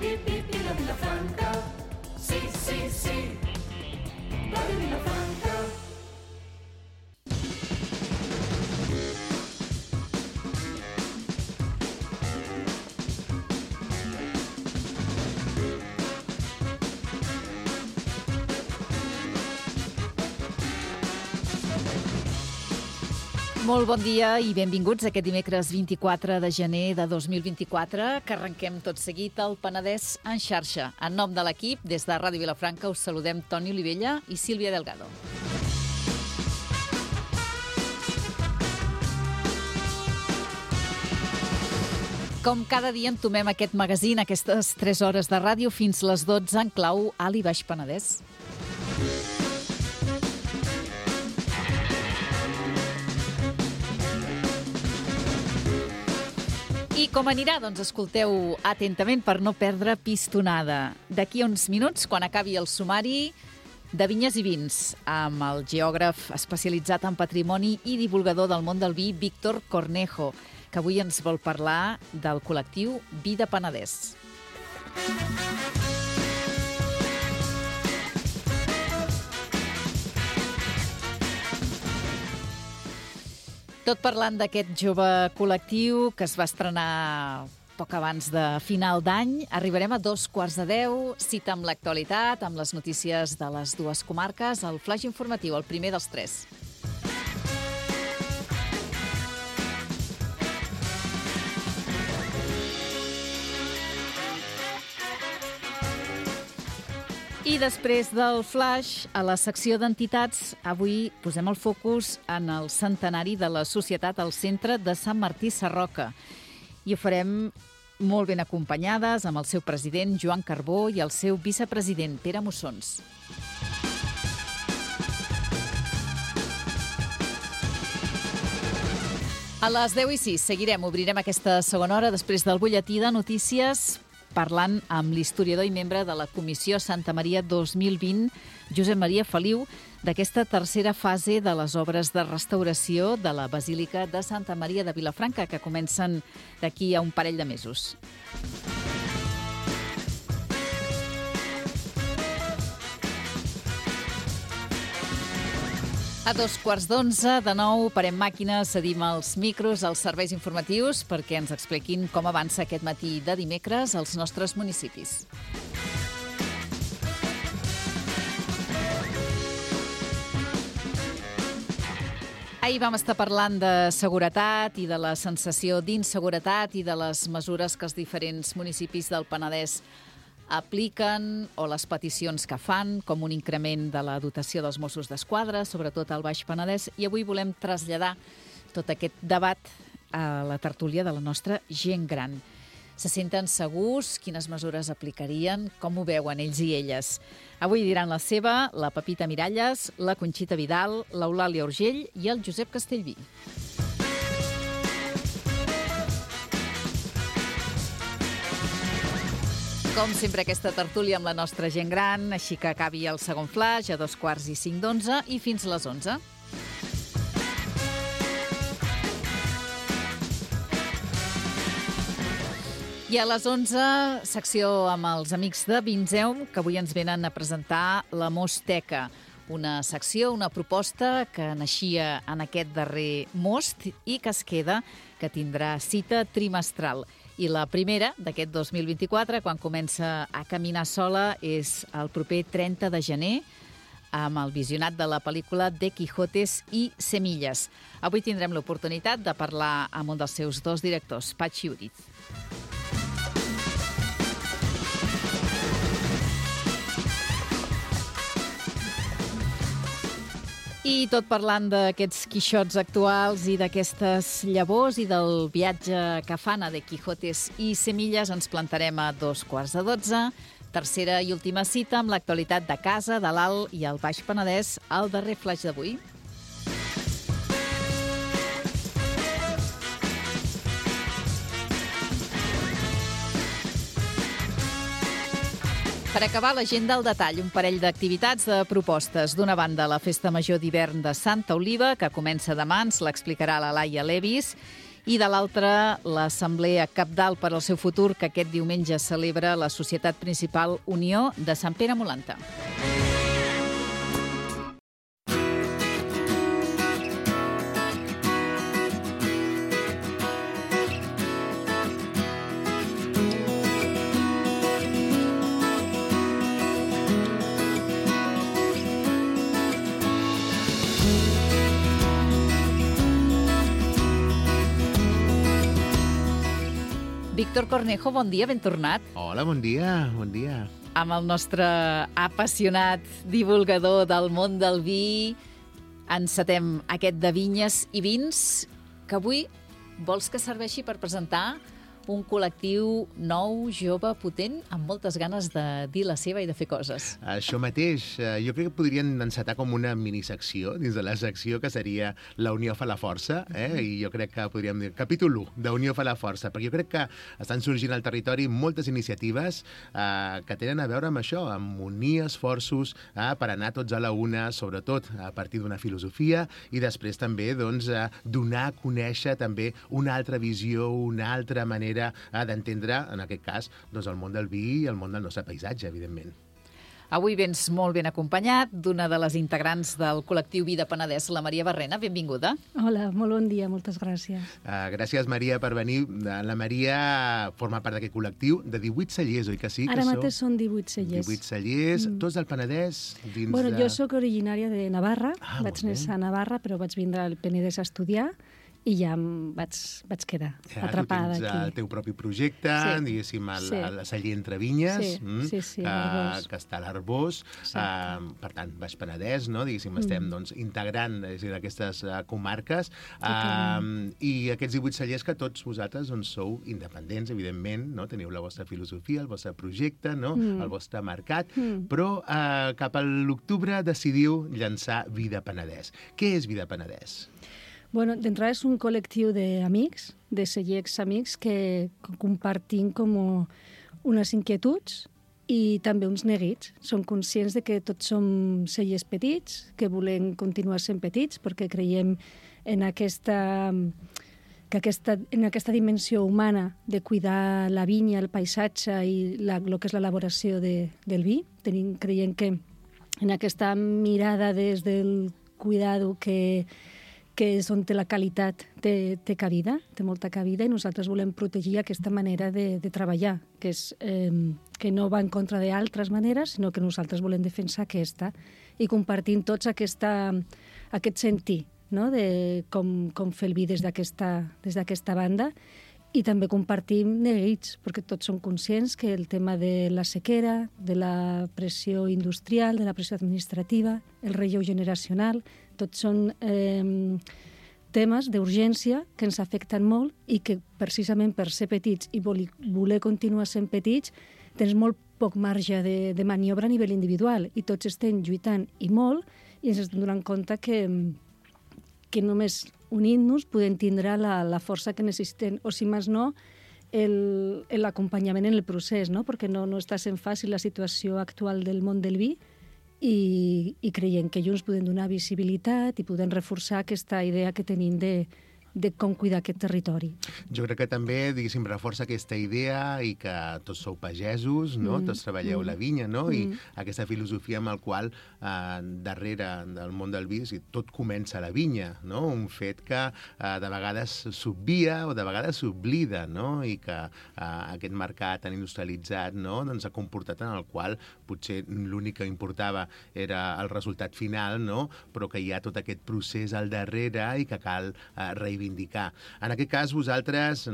hip, hip i la Vilafranca. Sí, sí, sí, Ràdio Vilafranca. Molt bon dia i benvinguts aquest dimecres 24 de gener de 2024, que arrenquem tot seguit al Penedès en xarxa. En nom de l'equip, des de Ràdio Vilafranca, us saludem Toni Olivella i Sílvia Delgado. Com cada dia entomem aquest magazín, aquestes 3 hores de ràdio fins les 12 en clau Alt i Baix Penedès. I com anirà? Doncs escolteu atentament per no perdre pistonada. D'aquí a uns minuts, quan acabi el sumari de Vinyes i Vins, amb el geògraf especialitzat en patrimoni i divulgador del món del vi, Víctor Cornejo, que avui ens vol parlar del col·lectiu Vida Penedès. Tot parlant d'aquest jove col·lectiu que es va estrenar poc abans de final d'any, arribarem a 9:45, cita amb l'actualitat, amb les notícies de les dues comarques, el flaix informatiu, el primer dels 3. I després del flash, a la secció d'entitats, avui posem el focus en el centenari de la Societat al Centre de Sant Martí Sarroca. I ho farem molt ben acompanyades amb el seu president, Joan Carbó, i el seu vicepresident, Pere Mussons. A les 10:06 seguirem, obrirem aquesta segona hora després del butlletí de notícies, parlant amb l'historiador i membre de la Comissió Santa Maria 2020, Josep Maria Feliu, d'aquesta tercera fase de les obres de restauració de la Basílica de Santa Maria de Vilafranca, que comencen d'aquí a un parell de mesos. A 11:15, de nou, parem màquines, cedim els micros als serveis informatius perquè ens expliquin com avança aquest matí de dimecres als nostres municipis. Ahir vam estar parlant de seguretat i de la sensació d'inseguretat i de les mesures que els diferents municipis del Penedès apliquen o les peticions que fan, com un increment de la dotació dels Mossos d'Esquadra, sobretot al Baix Penedès, i avui volem traslladar tot aquest debat a la tertúlia de la nostra gent gran. Se senten segurs? Quines mesures aplicarien? Com ho veuen ells i elles? Avui diran la seva, la Pepita Miralles, la Conxita Vidal, l'Eulàlia Urgell i el Josep Castellví. Com sempre, aquesta tertúlia amb la nostra gent gran, així que acabi el segon flash a 9:45 i fins a les 11. I a les 11, secció amb els amics de Vinzeum, que avui ens venen a presentar la Mosteca, una secció, una proposta que naixia en aquest darrer most i que es queda, que tindrà cita trimestral. I la primera d'aquest 2024, quan comença a caminar sola, és el proper 30 de gener, amb el visionat de la pel·lícula de Quijotes i Semilles. Avui tindrem l'oportunitat de parlar amb un dels seus dos directors, Patxi Uriz. I tot parlant d'aquests quixots actuals i d'aquestes llavors i del viatge que fan a de Quijotes i Semilles, ens plantarem a 11:45. Tercera i última cita amb l'actualitat de casa, de l'Alt i el Baix Penedès, al darrer flaix d'avui. Per acabar, l'agenda al detall, un parell d'activitats de propostes. D'una banda, la Festa Major d'hivern de Santa Oliva, que comença demà, ens l'explicarà la Laia Levis, i de l'altra, l'Assemblea Cabdal per al seu futur, que aquest diumenge celebra la Societat Principal Unió de Sant Pere Molanta. Víctor Cornejo, bon dia, ben tornat. Hola, bon dia, bon dia. Amb el nostre apassionat divulgador del món del vi, encetem aquest de vinyes i vins, que avui vols que serveixi per presentar un col·lectiu nou, jove, potent, amb moltes ganes de dir la seva i de fer coses. Això mateix. Jo crec que podrien encetar com una minisecció dins de la secció que seria La Unió fa la força, i jo crec que podríem dir capítol 1 de Unió fa la força, perquè jo crec que estan sorgint al territori moltes iniciatives que tenen a veure amb això, amb unir esforços per anar tots a la una, sobretot a partir d'una filosofia, i després també donar a conèixer també una altra visió, una altra manera d'entendre, en aquest cas, el món del vi i el món del nostre paisatge, evidentment. Avui vens molt ben acompanyat d'una de les integrants del col·lectiu Vi de Penedès, la Maria Barrena. Benvinguda. Hola, molt bon dia, moltes gràcies. Gràcies, Maria, per venir. La Maria forma part d'aquest col·lectiu de 18 cellers, oi que sí? Ara mateix són 18 cellers. 18 cellers, tots del Penedès? Jo sóc originària de Navarra, vaig néixer a Navarra, però vaig vindre al Penedès a estudiar, i ja em vaig quedar atrapada aquí. Tu tens el teu propi projecte, diguéssim, el celler Entre Vinyes, que està a l'Arbós. Per tant, Baix Penedès, diguéssim, estem integrant aquestes comarques. I aquests 18 cellers que tots vosaltres sou independents, evidentment, teniu la vostra filosofia, el vostre projecte, el vostre mercat, però cap a l'octubre decidiu llançar Vi de Penedès. Què és Vi de Penedès? Bueno, d'entrada és un col·lectiu d'amics, de cellers amics, que compartim com unes inquietuds i també uns neguits. Som conscients de que tots som cellers petits, que volem continuar sent petits, perquè creiem en aquesta dimensió humana de cuidar la vinya, el paisatge i el que és l'elaboració del vi. Creiem que en aquesta mirada des del cuidado que és on la qualitat té cabida, té molta cabida, i nosaltres volem protegir aquesta manera de treballar, que no va en contra d'altres maneres, sinó que nosaltres volem defensar aquesta, i compartim tots aquest sentir, de com fer el vi des d'aquesta banda, i també compartim neguits, perquè tots som conscients que el tema de la sequera, de la pressió industrial, de la pressió administrativa, el relleu generacional, tots són temes d'urgència que ens afecten molt i que precisament per ser petits i voler continuar sent petits tens molt poc marge de maniobra a nivell individual, i tots estem lluitant i molt, i ens estem donant compte que només unint-nos podem tindre la força que necessitem, o si més no, l'acompanyament en el procés, perquè no està sent fàcil la situació actual del món del vi, i creiem que junts podem donar visibilitat i podem reforçar aquesta idea que tenim de com cuidar aquest territori. Jo crec que també, diguéssim, reforça aquesta idea i que tots sou pagesos, tots treballeu la vinya, i aquesta filosofia amb la qual darrere del món del vi tot comença a la vinya, un fet que de vegades s'obvia o de vegades s'oblida, i que aquest mercat tan industrialitzat ha comportat en el qual potser l'únic que importava era el resultat final, però que hi ha tot aquest procés al darrere i que cal reivindicar. En aquest cas, vosaltres,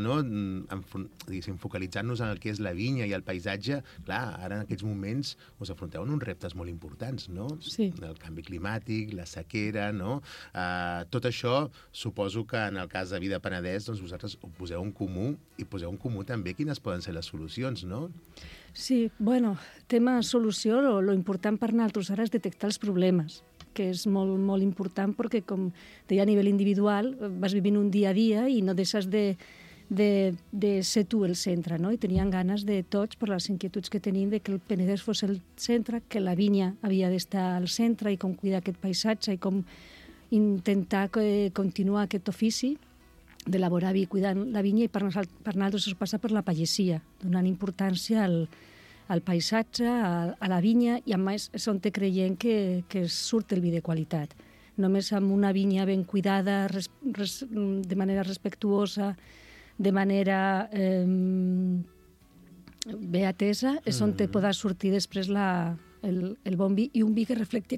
focalitzant-nos en el que és la vinya i el paisatge, clar, ara en aquests moments us afronteu en uns reptes molt importants, Sí. El canvi climàtic, la sequera, tot això, suposo que en el cas de Vi de Penedès, vosaltres ho poseu en comú i poseu en comú també quines poden ser les solucions, no? Sí, tema solució, lo important per nosaltres ara és detectar els problemes, que és molt, molt important perquè, com deia, a nivell individual vas vivint un dia a dia i no deixes de ser tu el centre, I tenien ganes de tots, per les inquietuds que tenim, de que el Penedès fos el centre, que la vinya havia d'estar al centre, i com cuidar aquest paisatge i com intentar continuar aquest ofici d'elaborar vi cuidant la vinya, i per nosaltres això passa per la pagesia, donant importància al paisatge, a la vinya, i a més és on creiem que surt el vi de qualitat. Només amb una vinya ben cuidada, de manera respectuosa, de manera bé atesa, és on podrà sortir després el bon vi, i un vi que reflecti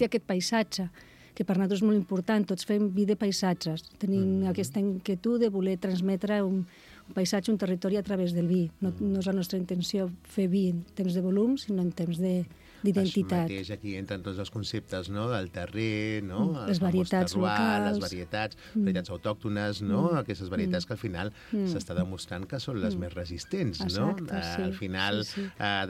aquest paisatge, que per nosaltres és molt important. Tots fem vi de paisatges. Tenim aquesta inquietud de voler transmetre un paisatge, un territori a través del vi. No és la nostra intenció fer vi en temps de volum, sinó en temps d'identitat. Això mateix, aquí entren tots els conceptes, no?, del terrer, no?, les varietats locals, les varietats autòctones, no?, aquestes varietats que al final s'està demostrant que són les més resistents, no? Exacte, sí. Al final,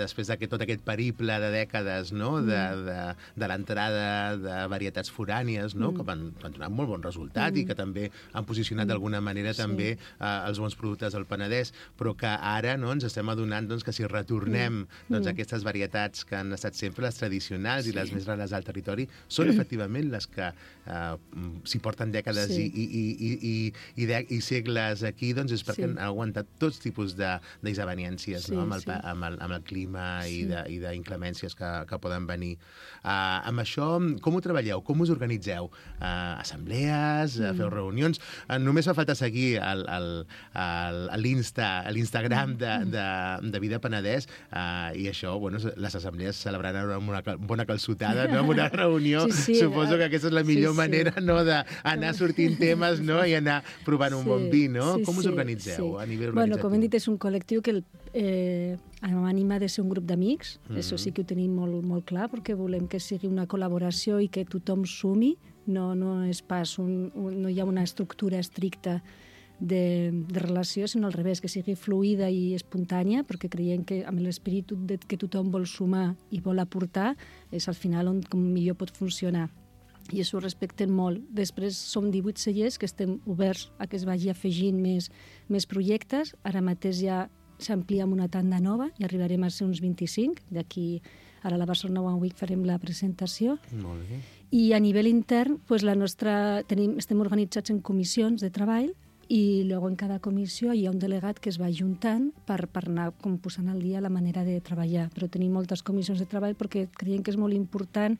després de tot aquest periple de dècades, no?, de l'entrada de varietats forànies, no?, que han donat molt bon resultat i que també han posicionat d'alguna manera també els bons productes del Penedès, però que ara, no?, ens estem adonant, doncs, que si retornem aquestes varietats que han estat sempre les tradicionals i les més rares al territori, són efectivament les que s'hi porten dècades i segles aquí, doncs és perquè han aguantat tots tipus d'isaveniències, no?, amb el clima i d'inclemències que poden venir. Amb això, com ho treballeu? Com us organitzeu? Assemblees? Feu reunions? Només fa falta seguir l'Instagram de Vida Penedès, i això, bueno, les assemblees celebraran amb una bona calçotada, no?, amb una reunió. Suposo que aquesta és la millor manera, no?, d'anar sortint temes, no?, i anar provant un bon vi, no? Com us organitzeu a nivell organitzatiu? Bueno, com hem dit, és un col·lectiu que anima de ser un grup d'amics. Això sí que ho tenim molt clar, perquè volem que sigui una col·laboració i que tothom sumi. No és pas no hi ha una estructura estricta de relació, sinó al revés, que sigui fluida i espontània, perquè creiem que amb l'esperit que tothom vol sumar i vol aportar és al final on millor pot funcionar. I això ho respecten molt. Després som 18 cellers que estem oberts a que es vagi afegint més projectes. Ara mateix ja s'amplia amb una tanda nova i arribarem a ser uns 25. D'aquí, ara a la Barcelona One Week farem la presentació. Molt bé. I a nivell intern, pues, estem organitzats en comissions de treball, i llavors en cada comissió hi ha un delegat que es va juntant per anar posant al dia la manera de treballar. Però tenim moltes comissions de treball perquè creiem que és molt important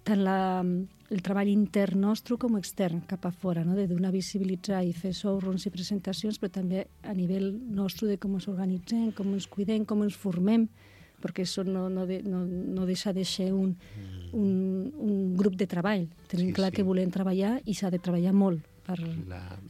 tant el treball intern nostre com extern, cap a fora, no? De donar visibilitzar i fer showrooms i presentacions, però també a nivell nostre de com ens organitzem, com ens cuidem, com ens formem, perquè això no deixa de ser un grup de treball. Tenim clar que volem treballar i s'ha de treballar molt.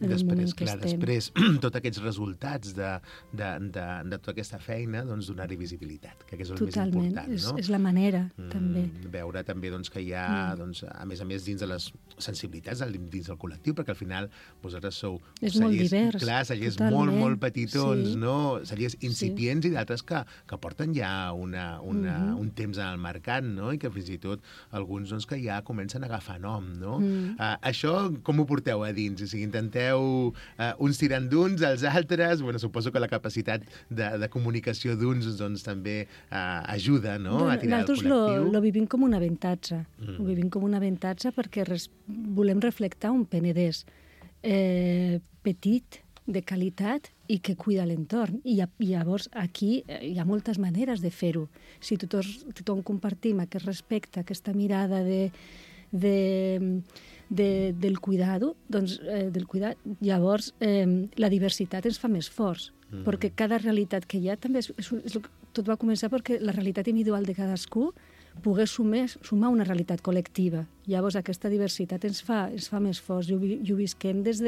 Després, tots aquests resultats de tota aquesta feina, doncs donar-hi visibilitat, que és el més important, no? És la manera, també. Veure també que hi ha, a més a més, dins de les sensibilitats dins del col·lectiu, perquè al final vosaltres sou cellers molt petitons, no? Cellers incipients i d'altres que porten ja un temps en el mercat, no? I que fins i tot alguns que ja comencen a agafar nom, no? Això com ho porteu a dir? O sigui, intenteu uns tirant d'uns, els altres. Bueno, suposo que la capacitat de comunicació d'uns doncs, també ajuda, no?, a tirar el col·lectiu. Nosaltres lo vivim com un avantatge. Ho vivim com un avantatge perquè volem reflectar un Penedès petit, de qualitat i que cuida l'entorn. I llavors aquí hi ha moltes maneres de fer-ho. Si tothom compartim aquest respecte, aquesta mirada del cuidado, doncs, llavors la diversitat ens fa més forts, perquè cada realitat que hi ha també tot va començar perquè la realitat individual de cadascú pogués sumar una realitat col·lectiva. Llavors aquesta diversitat ens fa més forts i ho visquem des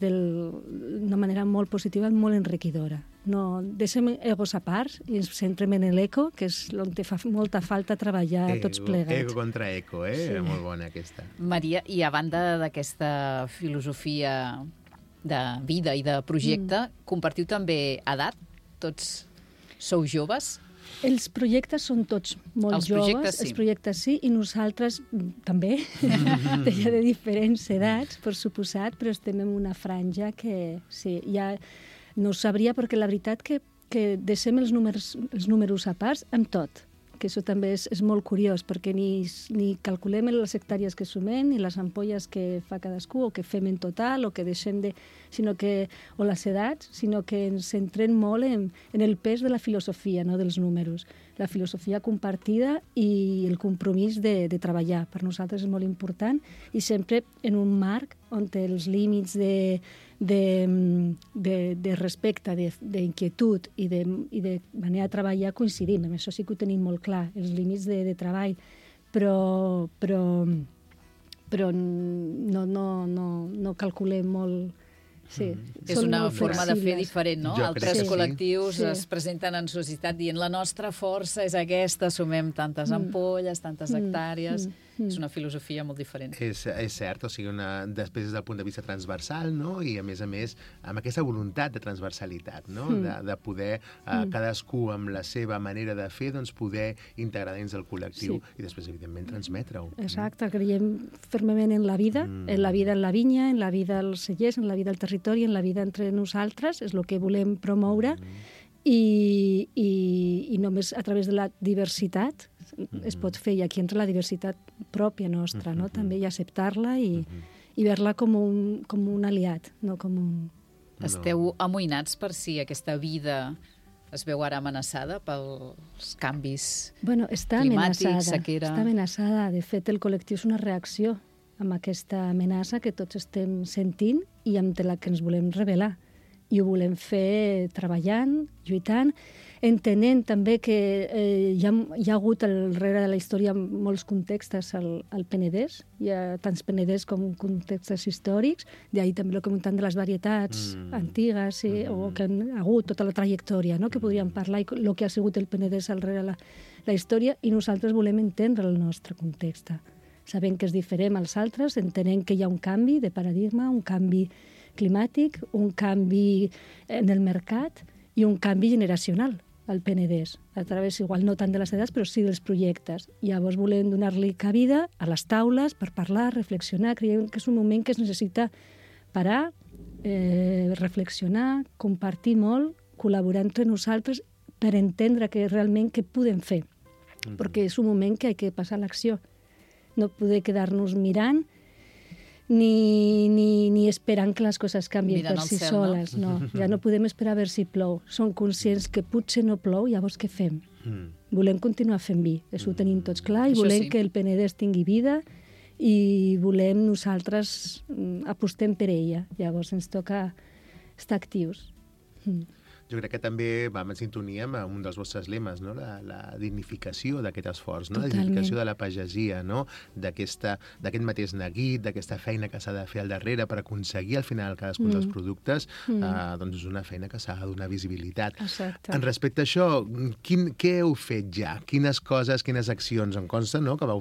d'una manera molt positiva, molt enriquidora. No, deixem egos a part i ens centrem en l'eco, que és on fa molta falta treballar tots plegats. Ego contra eco, eh? Molt bona aquesta. Maria, i a banda d'aquesta filosofia de vida i de projecte, compartiu també edat? Tots sou joves? Els projectes són tots molt joves, els projectes sí, i nosaltres també, ja de diferents edats, per suposat, però estem en una franja que sí, ja no ho sabria, perquè la veritat que deixem els números a part amb tot. que això també és molt curiós, perquè ni calculem les hectàrees que sumem, ni les ampolles que fa cadascú, o que fem en total, o que deixem de... o les edats, sinó que ens centrem molt en el pes de la filosofia, no dels números. La filosofia compartida i el compromís de treballar. Per nosaltres és molt important, i sempre en un marc on els límits de respecte, d'inquietud i de manera de treballar coincidim. Amb això sí que ho tenim molt clar, els límits de treball, però no calculem molt. Sí, és una forma de fer diferent, no? Altres col·lectius es presenten en societat dient la nostra força és aquesta, sumem tantes ampolles, tantes hectàrees... És una filosofia molt diferent. És cert, o sigui, després des del punt de vista transversal, no? I a més, amb aquesta voluntat de transversalitat, no? De poder, cadascú amb la seva manera de fer, doncs poder integrar dins del col·lectiu i després, evidentment, transmetre-ho. Exacte, creiem fermament en la vida en la vinya, en la vida als cellers, en la vida al territori, en la vida entre nosaltres, és el que volem promoure, i només a través de la diversitat es pot fer, i aquí entra la diversitat pròpia nostra, no? També, i acceptar-la i veure-la com un aliat, no com un... Esteu amoïnats per si aquesta vida es veu ara amenaçada pels canvis climàtics, sequera... Està amenaçada. De fet, el col·lectiu és una reacció amb aquesta amenaça que tots estem sentint i amb la que ens volem rebel·lar. I ho volem fer treballant, lluitant, entenent també que hi ha hagut al darrere de la història molts contextes al Penedès. Hi ha tants Penedès com contextes històrics, d'ahir també el que comentant de les varietats antigues, o que han hagut tota la trajectòria, no? Que podríem parlar, i el que ha sigut el Penedès al darrere la història, i nosaltres volem entendre el nostre context. Sabent que és diferent als altres, entenent que hi ha un canvi de paradigma, un canvi climàtic, un canvi en el mercat i un canvi generacional al Penedès, a través, igual no tant de les edats, però sí dels projectes. Llavors volem donar-li cabida a les taules per parlar, reflexionar. Creiem que és un moment que es necessita parar, reflexionar, compartir molt, col·laborar entre nosaltres per entendre realment què podem fer. Perquè és un moment que ha de passar a l'acció. No poder quedar-nos mirant ni esperant que les coses canvien per si soles. No? Ja no podem esperar a veure si plou. Som conscients que potser no plou, llavors què fem? Volem continuar fent vi, això ho tenim tots clar, i volem que el Penedès tingui vida, i volem nosaltres apostem per ella. Llavors ens toca estar actius. Jo crec que també vam en sintonia amb un dels vostres lemes, no? La dignificació d'aquest esforç, no? La dignificació de la pagesia, no? D'aquest mateix neguit, d'aquesta feina que s'ha de fer al darrere per aconseguir al final cadascun dels productes, doncs és una feina que s'ha de donar visibilitat. Exacte. En respecte a això, què heu fet ja? Quines coses, quines accions? Em consta, no?, que vau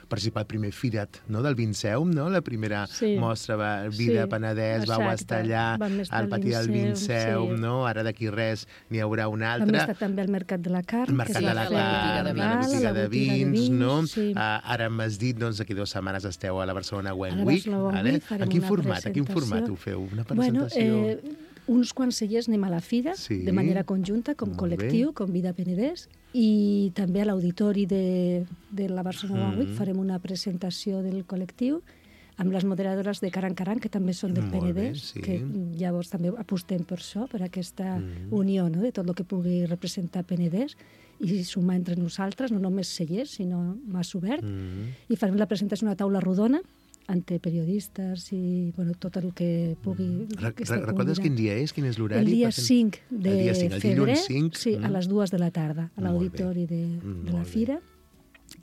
participar al primer Firat, no?, del Vinceum, no?, la primera mostra Vida Penedès, vau estar allà al pati del Vinceum, no? Ara d'aquí res n'hi haurà un altre. Vam estar també al Mercat de la Carn. El Mercat de la Carn, la botiga de vins, no? Ara m'has dit, doncs, d'aquí 2 setmanes esteu a la Barcelona Wine Week. En quin format ho feu? Una presentació? Uns quants cellers anem a la fira, de manera conjunta, com col·lectiu, com Vida Penedès, i també a l'auditori de la Barcelona Wine Week farem una presentació del col·lectiu, amb les moderadores de Caran Caran, que també són del Penedès, que llavors també apostem per això, per aquesta unió, no?, de tot el que pugui representar Penedès, i sumar entre nosaltres, no només cellers, sinó més obert. I farem la presentació d'una taula rodona, entre periodistes i tot el que pugui... Recordes quin dia és? Quin és l'horari? El dia 5 de febrer, a les 2 de la tarda, a l'auditori de la fira.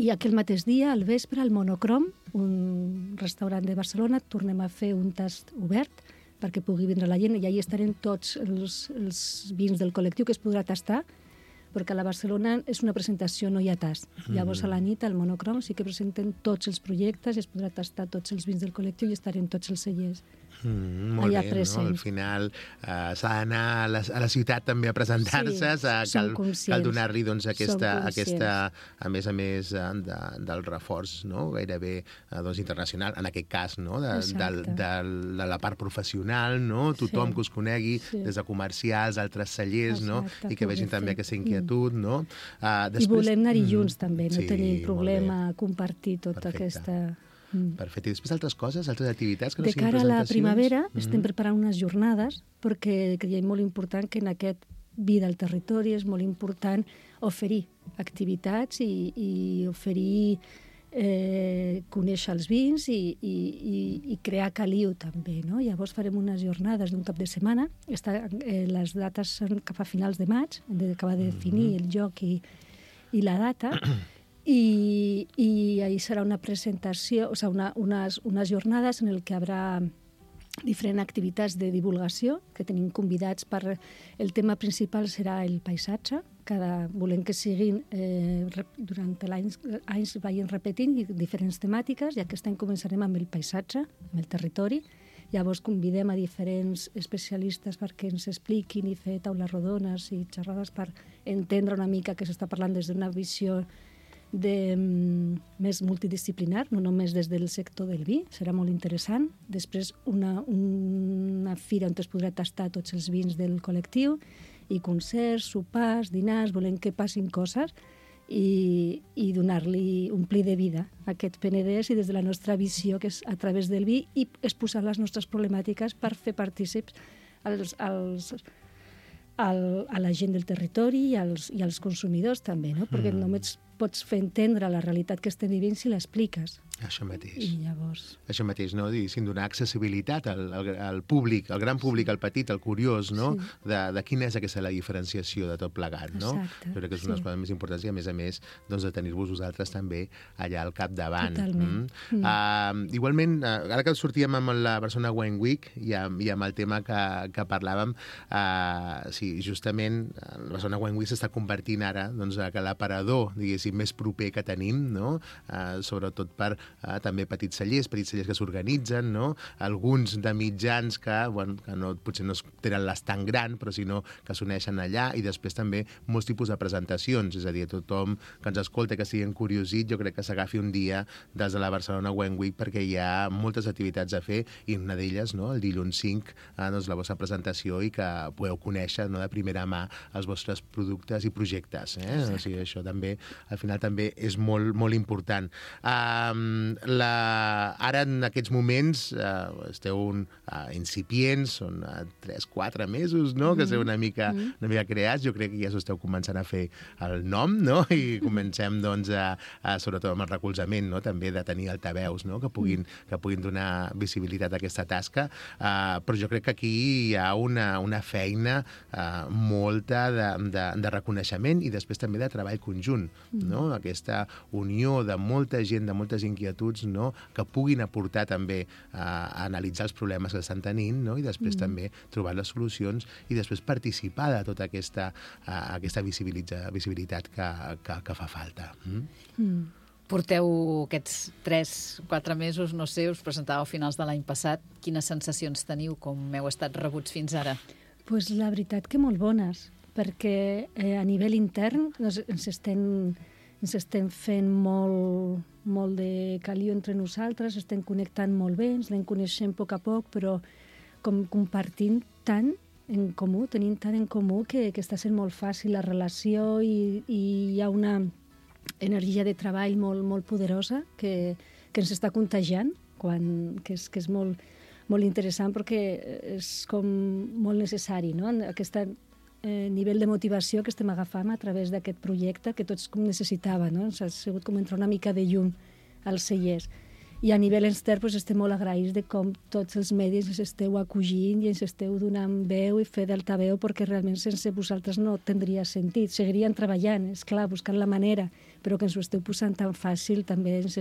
I aquell mateix dia, al vespre, al Monocrom, un restaurant de Barcelona, tornem a fer un tast obert perquè pugui vindre la gent, i allà estarem tots els vins del col·lectiu que es podrà tastar, perquè a la Barcelona és una presentació, no hi ha tast. Llavors a la nit, al Monocrom, sí que presenten tots els projectes i es podrà tastar tots els vins del col·lectiu i estarem tots els cellers Molt allà bé, presents. no? Al final s'ha d'anar a la ciutat també a presentar-se, cal donar-li doncs, aquesta, a més del reforç, no? Gairebé doncs, internacional, en aquest cas, no? de la part professional, no? Tothom que us conegui, des de comercials, altres cellers, no? I que vegin també aquesta inquietud. No? I volem anar-hi junts també, no tenim problema a compartir tota aquesta... Perfecte. I després altres coses, altres activitats que no siguin presentacions? De cara a la primavera estem preparant unes jornades perquè creiem molt important que en aquest vida al territori és molt important oferir activitats i oferir conèixer els vins i crear caliu també, no? Llavors farem unes jornades d'un cap de setmana. Les dates són cap a finals de maig, hem d'acabar de definir el lloc i la data. I ahí serà una presentació, o sigui, unes jornades en el que haurà diferents activitats de divulgació, que tenim convidats per... El tema principal serà el paisatge. Volem que siguin, durant l'any vagin repetint diferents temàtiques, i aquest any començarem amb el paisatge, amb el territori. Llavors convidem a diferents especialistes perquè ens expliquin i fer taules rodones i xerrades per entendre una mica que s'està parlant des d'una visió més multidisciplinar, no només des del sector del vi, serà molt interessant. Després una fira on es podrà tastar tots els vins del col·lectiu, i concerts, sopars, dinars, volem que passin coses i donar-li, omplir de vida a aquest Penedès i des de la nostra visió, que és a través del vi, i exposar les nostres problemàtiques per fer partícips a la gent del territori i als consumidors també, no? Perquè només pots fer entendre la realitat que estem vivint si l'expliques. Això mateix. I llavors... Això mateix, no? Diguéssim, donar accessibilitat al públic, al gran públic, al petit, al curiós, no? De quina és aquesta la diferenciació de tot plegat, no? Exacte. Jo crec que és una de les coses més importants i, a més, doncs, de tenir-vos vosaltres també allà al capdavant. Totalment. Igualment, ara que sortíem amb la Barcelona Wine Week i amb el tema que parlàvem, sí, justament la Barcelona Wine Week s'està convertint ara doncs, que l'aparador, diguéssim, més proper que tenim, no? Sobretot per també petits cellers que s'organitzen, no? Alguns de mitjans que potser no tenen l'estant gran, però sinó que s'uneixen allà, i després també molts tipus de presentacions, és a dir, tothom que ens escolta, que sigui encuriosit, jo crec que s'agafi un dia des de la Barcelona Wine Week, perquè hi ha moltes activitats a fer, i una d'elles, no? El dilluns 5, doncs, la vostra presentació, i que podeu conèixer, no? De primera mà els vostres productes i projectes. O sigui, això també, al final, també és molt, molt important. Ara, en aquests moments, esteu incipients, són 3-4 mesos, no? Que esteu una mica creats. Jo crec que ja us esteu començant a fer el nom, no? I comencem, doncs, sobretot amb el recolzament, no? També de tenir altaveus, no? Que puguin donar visibilitat a aquesta tasca. Però jo crec que aquí hi ha una feina molta de reconeixement i després també de treball conjunt, no? Aquesta unió de molta gent, de moltes inquietuds, no? Que puguin aportar també a analitzar els problemes que estan tenint, no? I després també trobar les solucions i després participar de tota aquesta visibilitat que fa falta. Porteu aquests 3-4 mesos, no sé, us presentàveu a finals de l'any passat. Quines sensacions teniu? Com heu estat rebuts fins ara? Pues la veritat que molt bones, perquè a nivell intern ens estem fent molt de caliu entre nosaltres, estem connectant molt bé, ens anem coneixent a poc, però com compartint tant en comú, tenim tant en comú que està sent molt fàcil la relació i hi ha una energia de treball molt poderosa que ens està contagiant, que és molt interessant perquè és com molt necessari, no? Aquest nivell de motivació que estem agafant a través d'aquest projecte que tots necessitàvem, no? Ha sigut com entrar una mica de llum als cellers. I a nivell extern estem molt agraïts de com tots els medis ens esteu acogint i ens esteu donant veu i fer d'altaveu, perquè realment sense vosaltres no tindria sentit. Seguirien treballant, és clar, buscant la manera, però que ens ho esteu posant tan fàcil també ens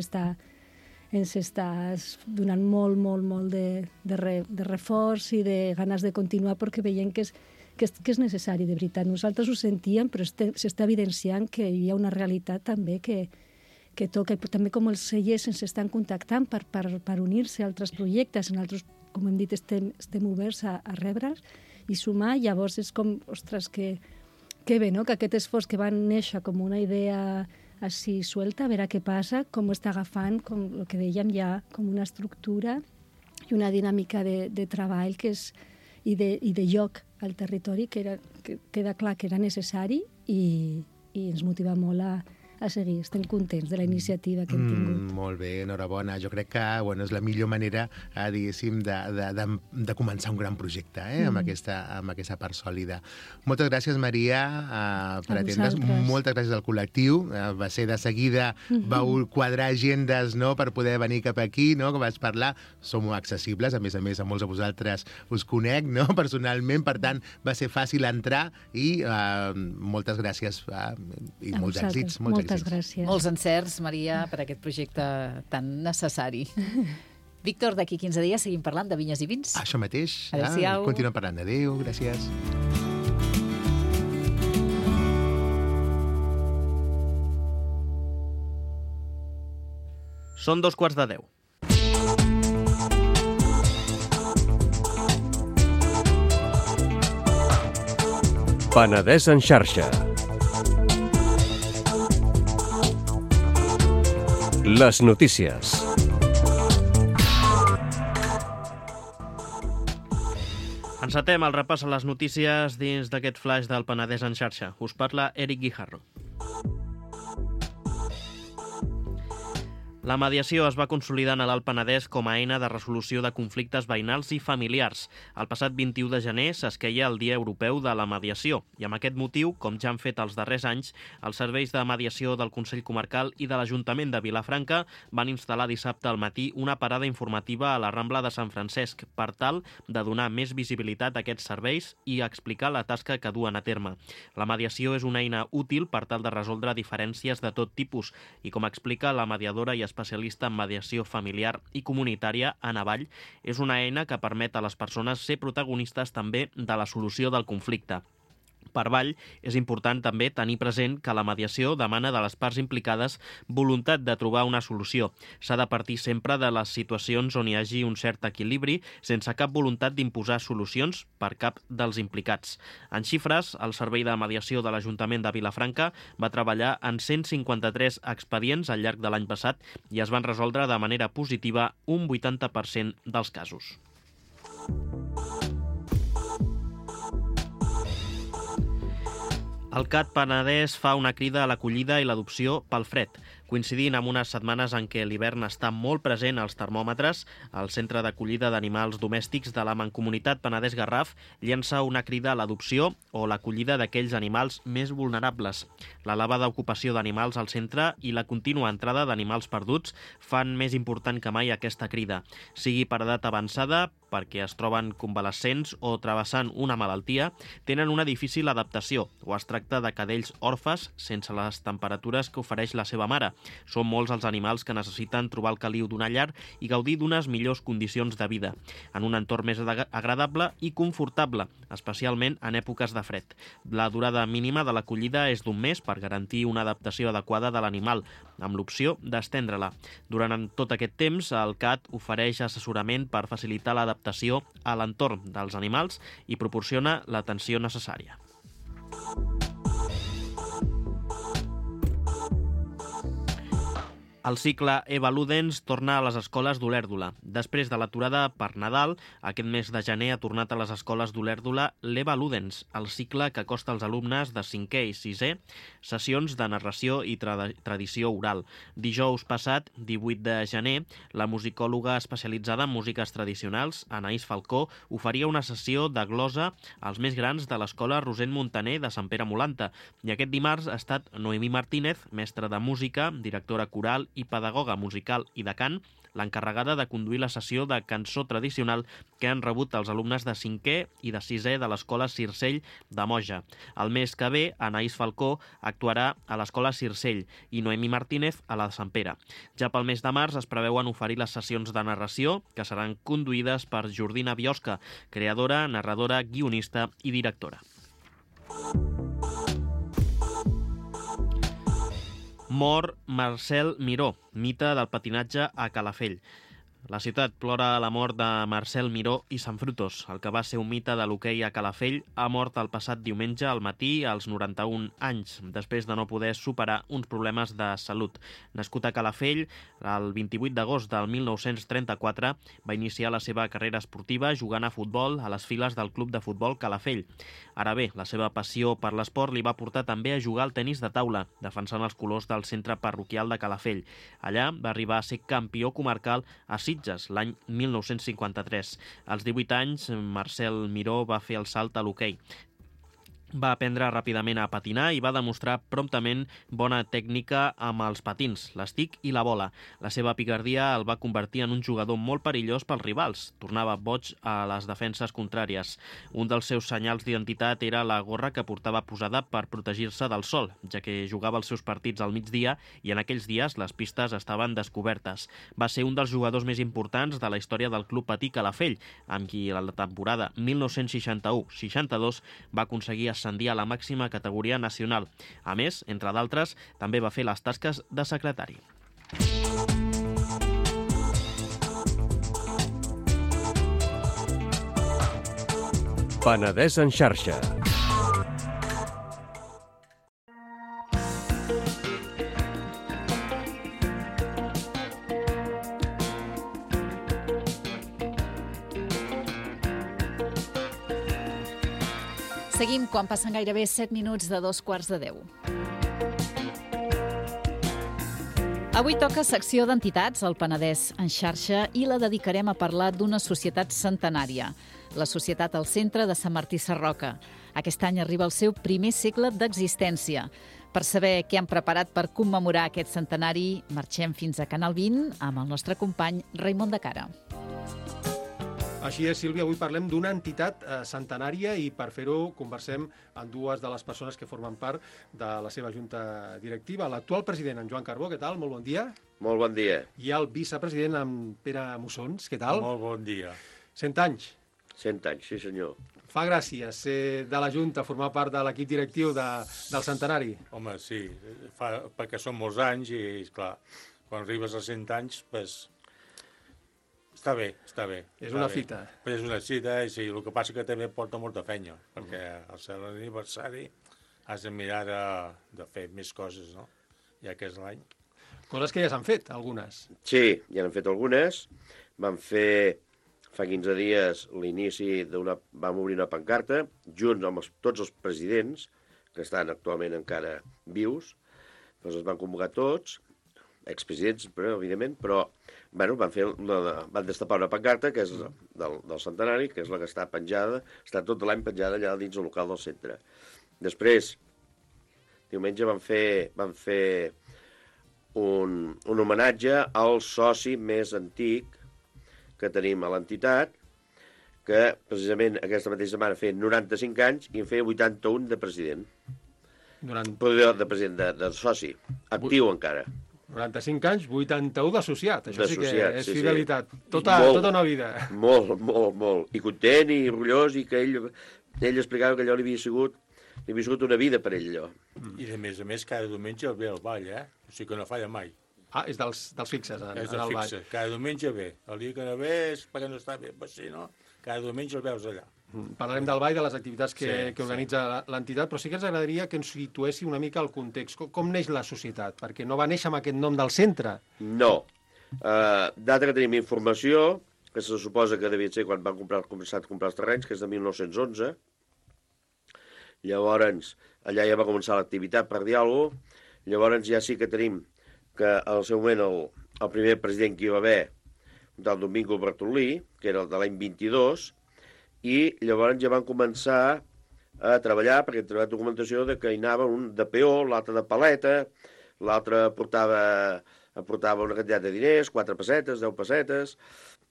està donant molt de reforç i de ganes de continuar, perquè veiem que és necessari, de veritat. Nosaltres ho sentíem, però s'està evidenciant que hi ha una realitat també que toca, i també com els cellers ens estan contactant per unir-se a altres projectes en altres com hem dit, estem oberts a rebre'ls i sumar. Llavors és com, ostres, que bé, no? Que aquest esforç que va néixer com una idea així suelta, a veure què passa, com ho està agafant, com el que dèiem ja, com una estructura i una dinàmica de treball que és, i de lloc al territori que queda clar que era necessari i ens motiva molt a seguir. Estem contents de la iniciativa que hem tingut. Molt bé, enhorabona. Jo crec que és la millor manera, diguéssim, de començar un gran projecte amb aquesta part sòlida. Moltes gràcies, Maria, per atendre's. Moltes gràcies al col·lectiu. Va ser de seguida, vau quadrar agendes, no?, per poder venir cap aquí, no?, que vaig parlar. Som accessibles, a més, a molts de vosaltres us conec, no?, personalment, per tant, va ser fàcil entrar i moltes gràcies i molts èxits. Moltes gràcies. Molts encerts, Maria, per aquest projecte tan necessari. Víctor, d'aquí 15 dies seguim parlant de vinyes i vins. Això mateix. Adéu-siau. Continuem parlant. Adéu, gràcies. Són 2:45. Penedès en xarxa. Les notícies. Encetem el repàs a les notícies dins d'aquest flash del Penedès en xarxa. Us parla Eric Guijarro. La mediació es va consolidant a l'Alt Penedès com a eina de resolució de conflictes veïnals i familiars. El passat 21 de gener s'esqueia el Dia Europeu de la Mediació i amb aquest motiu, com ja han fet els darrers anys, els serveis de mediació del Consell Comarcal i de l'Ajuntament de Vilafranca van instal·lar dissabte al matí una parada informativa a la Rambla de Sant Francesc per tal de donar més visibilitat a aquests serveis i explicar la tasca que duen a terme. La mediació és una eina útil per tal de resoldre diferències de tot tipus i, com explica la mediadora i especialista en mediació familiar i comunitària, Anna Vall, és una eina que permet a les persones ser protagonistes també de la solució del conflicte. Per Vall, és important també tenir present que la mediació demana de les parts implicades voluntat de trobar una solució. S'ha de partir sempre de les situacions on hi hagi un cert equilibri, sense cap voluntat d'imposar solucions per cap dels implicats. En xifres, el Servei de Mediació de l'Ajuntament de Vilafranca va treballar en 153 expedients al llarg de l'any passat i es van resoldre de manera positiva un 80% dels casos. El CAT Penedès fa una crida a l'acollida i l'adopció pel fred. Coincidint amb unes setmanes en què l'hivern està molt present als termòmetres, el Centre d'Acollida d'Animals Domèstics de la Mancomunitat Penedès Garraf llença una crida a l'adopció o l'acollida d'aquells animals més vulnerables. L'elevada ocupació d'animals al centre i la contínua entrada d'animals perduts fan més important que mai aquesta crida, sigui per edat avançada, perquè es troben convalescents o travessant una malaltia, tenen una difícil adaptació o es tracta de cadells orfes sense les temperatures que ofereix la seva mare. Són molts els animals que necessiten trobar el caliu d'una llar i gaudir d'unes millors condicions de vida, en un entorn més agradable i confortable, especialment en èpoques de fred. La durada mínima de l'acollida és d'un mes per garantir una adaptació adequada de l'animal, amb l'opció d'estendre-la. Durant tot aquest temps, el CAT ofereix assessorament per facilitar l'adaptació a l'entorn dels animals i proporciona l'atenció necessària. El cicle Eva Ludens torna a les escoles d'Olèrdola. Després de l'aturada per Nadal, aquest mes de gener ha tornat a les escoles d'Olèrdola l'Eva Ludens, el cicle que acosta als alumnes de 5è i 6è sessions de narració i tradició oral. Dijous passat, 18 de gener, la musicòloga especialitzada en músiques tradicionals, Anaïs Falcó, oferia una sessió de glosa als més grans de l'escola Rosent Montaner de Sant Pere Molanta. I aquest dimarts ha estat Noemí Martínez, mestra de música, directora coral i pedagoga musical i de cant, l'encarregada de conduir la sessió de cançó tradicional que han rebut els alumnes de 5è i de 6è de l'escola Circell de Moja. El mes que ve, Anaïs Falcó actuarà a l'escola Circell i Noemí Martínez a la de Sant Pere. Ja pel mes de març es preveuen oferir les sessions de narració que seran conduïdes per Jordina Biosca, creadora, narradora, guionista i directora. Mor Marcel Miró, mite del patinatge a Calafell. La ciutat plora la mort de Marcel Miró i Sanfrutos, el que va ser un mite de l'hoquei a Calafell, ha mort el passat diumenge al matí als 91 anys, després de no poder superar uns problemes de salut. Nascut a Calafell, el 28 d'agost del 1934 va iniciar la seva carrera esportiva jugant a futbol a les files del Club de Futbol Calafell. Ara bé, la seva passió per l'esport li va portar també a jugar al tenis de taula, defensant els colors del centre parroquial de Calafell. Allà va arribar a ser campió comarcal a Sitges l'any 1953. Als 18 anys, Marcel Miró va fer el salt a l'hoquei. Va aprendre ràpidament a patinar i va demostrar promptament bona tècnica amb els patins, l'estic i la bola. La seva picardia el va convertir en un jugador molt perillós pels rivals. Tornava boig a les defenses contràries. Un dels seus senyals d'identitat era la gorra que portava posada per protegir-se del sol, ja que jugava els seus partits al migdia i en aquells dies les pistes estaven descobertes. Va ser un dels jugadors més importants de la història del Club Patí Calafell, amb qui a la temporada 1961-62 va aconseguir ascendir a la màxima categoria nacional. A més, entre d'altres, també va fer les tasques de secretari. Penedès en xarxa. Seguim quan passen gairebé 7 minuts de 2:15. Avui toca secció d'entitats al Penedès en xarxa i la dedicarem a parlar d'una societat centenària, la Societat al Centre de Sant Martí Sarroca. Aquest any arriba el seu primer segle d'existència. Per saber què han preparat per commemorar aquest centenari, marxem fins a Canal 20 amb el nostre company Raimon de Cara. Així és, Sílvia, avui parlem d'una entitat centenària i per fer-ho conversem amb dues de les persones que formen part de la seva junta directiva. L'actual president, en Joan Carbó, què tal? Molt bon dia. Molt bon dia. I el vicepresident, en Pere Mussons, què tal? Molt bon dia. 100 anys. 100 anys, sí senyor. Fa gràcia ser de la junta, formar part de l'equip directiu del centenari. Home, sí, perquè són molts anys i, esclar, quan arribes als 100 anys, pues, està bé. És una fita. És una cita, i sí, el que passa que també porta molta feina, perquè al ser l'aniversari has de mirar de fer més coses, no? Ja que és l'any. Coses que ja s'han fet, algunes. Sí, ja n'han fet algunes. Vam fer, fa 15 dies, l'inici vam obrir una pancarta, junts amb tots els presidents, que estan actualment encara vius, doncs es van convocar tots, expresidents, però, evidentment, però bueno, van destapar una pancarta que és del centenari, que és la que està penjada, està tot l'any penjada allà dins el local del centre. Després, diumenge van fer un homenatge al soci més antic que tenim a l'entitat, que precisament aquesta mateixa setmana feia 95 anys i en feia 81 de president. De president, de soci, actiu encara. 95 anys, 81 d'associat. Això sí que és fidelitat. Sí. Tota una vida. Molt. I content i orgullós, i que ell explicava que allò li havia sigut una vida per ell, allò. I a més, cada diumenge el ve al ball, O sigui que no falla mai. Ah, és dels fixes, és dels fixes. Cada diumenge ve. El dia que no ve és perquè no està bé, però si no, cada diumenge el veus allà. Parlarem del ball, de les activitats que organitza l'entitat, però sí que ens agradaria que ens situessi una mica el context. Com neix la societat? Perquè no va néixer amb aquest nom del centre. No. Data que tenim informació, que se suposa que devia ser quan van començar a comprar els terrenys, que és de 1911. Llavors, allà ja va començar l'activitat, per dir alguna cosa. Llavors ja sí que tenim que al seu moment el primer president que hi va haver, un tal Domingo Bertolí, que era el de l'any 22, i llavors ja van començar a treballar, perquè hem trobat documentació de que hi anava un de peó, l'altre de paleta, l'altre portava una quantitat de diners, 4 pessetes, 10 pessetes,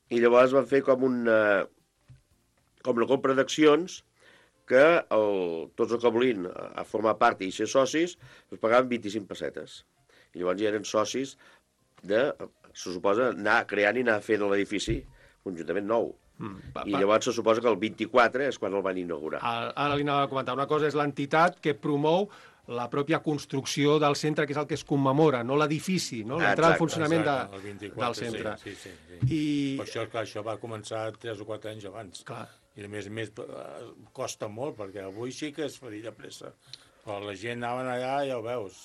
i llavors van fer com una compra d'accions que tots els que volien a formar part i ser socis es pagaven 25 pessetes. I llavors ja eren socis se suposa, anar creant i anar fent l'edifici conjuntament nou. I llavors se suposa que el 24 és quan el van inaugurar. Ara li anava a comentar. Una cosa és l'entitat que promou la pròpia construcció del centre, que és el que es commemora, no l'edifici, no? L'entrada en funcionament el 24, del centre. Sí. I... Per això, clar, això va començar 3 o 4 anys abans. Clar. I a més costa molt, perquè avui sí que es faria de pressa. Però la gent anaven allà, ja ho veus,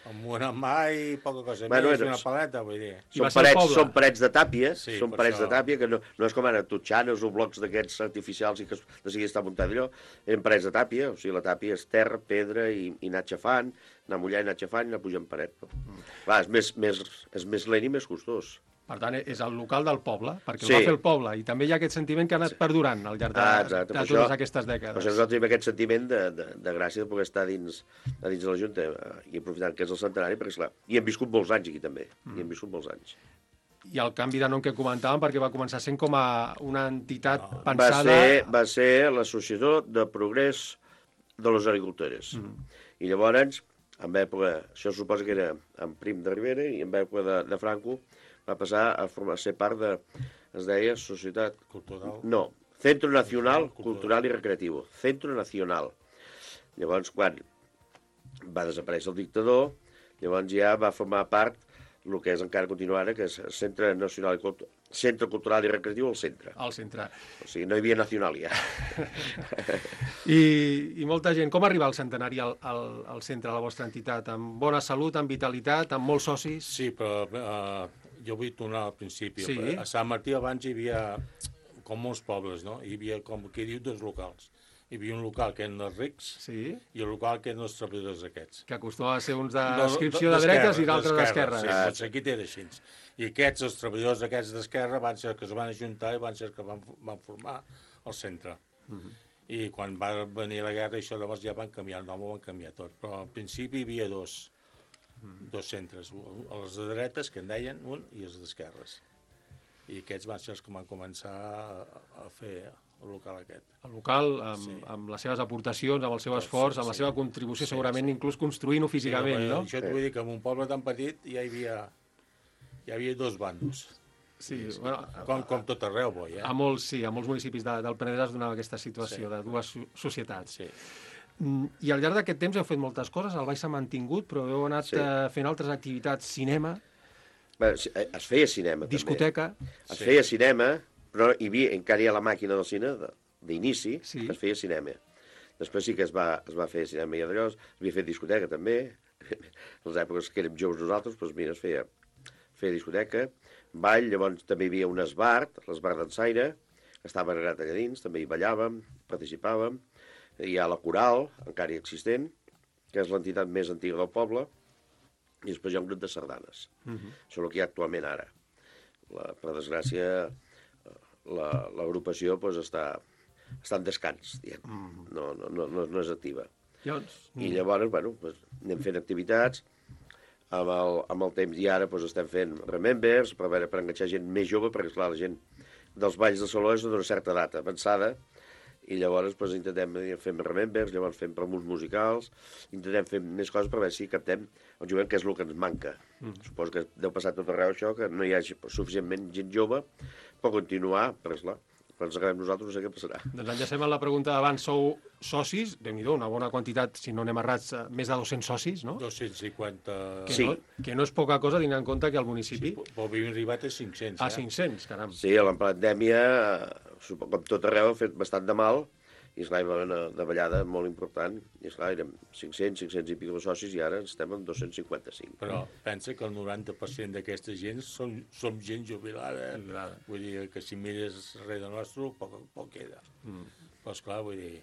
amb una mà i poca cosa més, una paleta, vull dir. Són parets de tàpia, sí, parets de tàpia, que no és com ara totxanes o blocs d'aquests artificials i que de seguida està muntat allò, eren parets de tàpia, o sigui, la tàpia és terra, pedra i anar xafant, anar mullant, anar xafant i anar pujant paret. Clar, és més lent i més costós. Per tant, és el local del poble, perquè ho va fer el poble, i també hi ha aquest sentiment que ha anat perdurant al llarg de totes aquestes dècades. Per això nosaltres tenim aquest sentiment de gràcia de poder estar dins de la Junta i aprofitant que és el centenari, perquè, esclar, hi hem viscut molts anys aquí també, hi hem viscut molts anys. I el canvi de nom que comentàvem, perquè va començar sent com a una entitat pensada... Va ser l'Associació de Progrés de les Agricultores. I llavors, en època, això suposa que era en Prim de Rivera, i en època de Franco, va passar a ser part de, es deia, Societat... Cultural? No, Centro Nacional Cultural i Recreativo. Centro Nacional. Llavors, quan va desaparèixer el dictador, llavors ja va formar part el que és encara continua ara, que és Centre Nacional Centre Cultural i Recreatiu al centre. Al centre. O sigui, no hi havia nacional ja. I molta gent. Com arriba el centenari al centre de la vostra entitat? Amb bona salut, amb vitalitat, amb molts socis? Sí, però jo vull tornar al principi. Sí. A Sant Martí abans hi havia, com molts pobles, no? Hi havia, com qui diu, 2 locals. Hi havia un local que eren els rics i el local que eren els treballadors aquests. Que acostuma a ser uns d'adscripció de dretes i d'altres d'esquerres. Sí, doncs aquí era així. I aquests, els treballadors aquests d'esquerra, van ser que es van ajuntar i van ser que van formar el centre. I quan va venir la guerra, això llavors ja van canviar el nom, ho van canviar tot. Però al principi hi havia dos centres, els de dretes, que en deien, un, i els d'esquerres. I aquests van ser els que van començar a fer el local aquest. El local, amb les seves aportacions, amb el seu esforç, amb la seva contribució, segurament inclús construint-ho físicament, no? Això et vull dir que en un poble tan petit ja hi havia 2 bandos. Sí, bueno, com tot arreu, boi, a molts municipis del Penedès es donava aquesta situació de dues societats. Sí. I al llarg d'aquest temps heu fet moltes coses, el Baix s'ha mantingut, però heu anat fent altres activitats, cinema... Es feia cinema, discoteca. també. Es feia cinema, però encara hi ha la màquina del cine d'inici, es feia cinema. Després sí que es va fer cinema i allò, es havia fet discoteca també, en les èpoques que érem joves nosaltres, doncs mira, es feia discoteca, ball, llavors també hi havia un esbart, l'esbart d'Ensaire, estava agregat allà dins, també hi ballàvem, participàvem, hi ha la coral, encara existent, que és l'entitat més antiga del poble, i després hi ha un grup de sardanes. Això és el que hi ha actualment ara. Per desgràcia, l'agrupació està en descans, diguem. No és activa. I llavors, anem fent activitats, amb el temps i ara estem fent remembers, per enganxar gent més jove, perquè, esclar, la gent dels balls de saló és d'una certa edat avançada, i llavors intentem fer remembers, llavors fem promos musicals, intentem fer més coses per veure si captem el jovent, que és el que ens manca. Suposo que deu passar tot arreu això, que no hi hagi suficientment gent jove per continuar, perquè esclar, quan ens acabem nosaltres no sé què passarà. Doncs enllacem amb la pregunta d'abans, sou socis, Déu-n'hi-do, una bona quantitat, si no anem errats, més de 200 socis, no? 250... Que no és poca cosa, tenint en compte que al municipi... Però havíem arribat a 500, A 500, caram. Sí, a la pandèmia, com tot arreu, ha fet bastant de mal, i esclar, hi va haver una davallada molt important, i esclar, érem 500 i pico de socis, i ara estem en 255. Però pensa que el 90% d'aquesta gent som gent jubilada. Vull dir que si mires darrere nostre, poc queda. Però esclar, vull dir...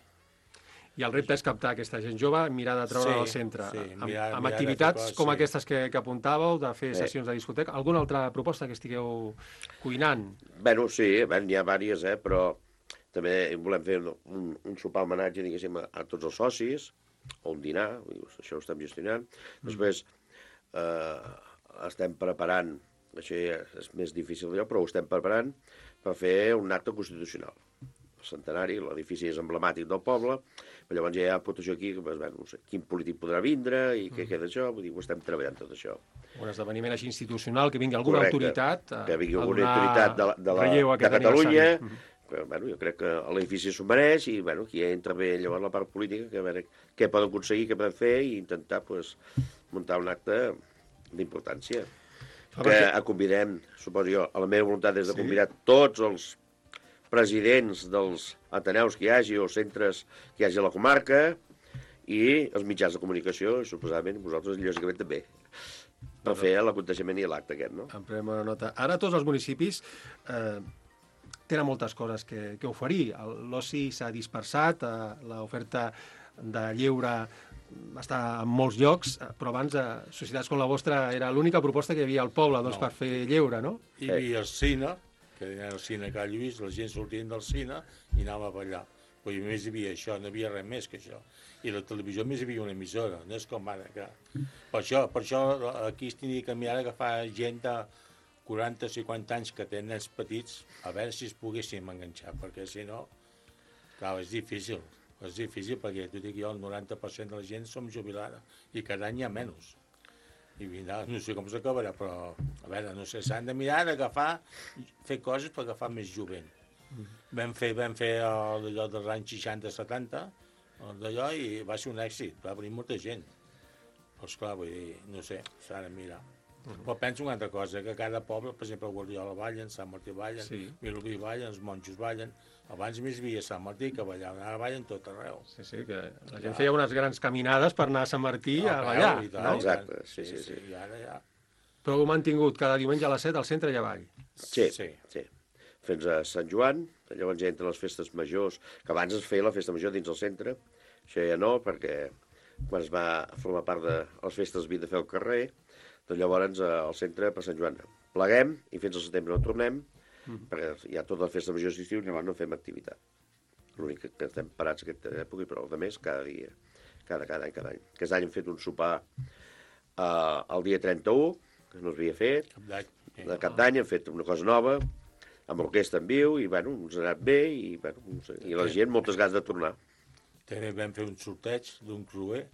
I el repte és captar aquesta gent jove, mirar de treure al centre, amb activitats com aquestes que apuntàveu, de fer sessions de discoteca. Alguna altra proposta que estigueu cuinant? Bueno, sí, n'hi ha diverses, però també volem fer un sopar homenatge, diguéssim, a tots els socis, o un dinar, això ho estem gestionant. Després estem preparant, això ja és més difícil d'allò, però ho estem preparant per fer un acte constitucional. El centenari, l'edifici és emblemàtic del poble, però llavors ja hi ha votació aquí, no sé quin polític podrà vindre i què queda això, vull dir, ho estem treballant tot això. Un esdeveniment així institucional, que vingui alguna autoritat que vingui alguna autoritat de Catalunya, Però, bueno, jo crec que l'edifici s'ho mereix i, bueno, aquí entra bé llavors la part política, que a veure què poden aconseguir, què poden fer i intentar, pues, muntar un acte d'importància. Que convidem, suposo jo, a la meva voluntat és de convidar tots els presidents dels ateneus que hi hagi o centres que hi hagi a la comarca i els mitjans de comunicació, i suposadament vosaltres, lògicament, també, per fer l'aconteixement i l'acte aquest, no? En prenem una nota. Ara tots els municipis tenen moltes coses que oferir. L'oci s'ha dispersat, l'oferta de lleure està en molts llocs, però abans societats com la vostra era l'única proposta que hi havia al poble per fer lleure, no? Hi havia el cine, que era el cine que ha Lluís, la gent sortien del cine i anava a ballar. Però només hi havia això, no hi havia res més que això. I la televisió només hi havia una emissora, no és com ara. Que... Per això aquí es tenia que canviar agafar gent de 40 o 50 anys que tenen nens petits, a veure si es poguéssim enganxar, perquè si no, clar, és difícil. És difícil perquè, t'ho dic jo, el 90% de la gent som jubilada i cada any hi ha menys. I vindrà, no sé com s'acabarà, però, a veure, no sé, s'han de mirar d'agafar, fer coses per agafar més jovent. Vam fer allò dels anys 60-70, d'allò, i va ser un èxit, va venir molta gent. Però, esclar, vull dir, no sé, s'ha de mirar. Però penso una altra cosa, que cada poble, per exemple, Guardiola ballen, Sant Martí ballen, Vilobí ballen, els monjos ballen. Abans més hi havia Sant Martí, que ballaven, ara ballen tot arreu. Sí, que la gent feia unes grans caminades per anar a Sant Martí a ballar, no? Exacte, sí. I ara ja... Però ho hem mantingut cada diumenge a les 7 al centre i avall. Sí. Fins a Sant Joan, llavors ja entren les festes majors, que abans es feia la festa major dins el centre, això ja no, perquè quan es va formar part de les festes havia de fer al carrer, doncs llavors al centre per Sant Joan pleguem i fins al setembre no tornem, perquè hi ha totes les festes majors d'estiu i llavors no fem activitat. L'únic que estem parats aquesta època, però el de més cada dia, cada any. Aquest any hem fet un sopar el dia 31, que no s'havia fet, de Cap d'Any hem fet una cosa nova, amb l'orquestra en viu, i bueno, ens ha anat bé, i, bueno, no sé, i la gent moltes ganes de tornar. També vam fer un sorteig d'un creuer,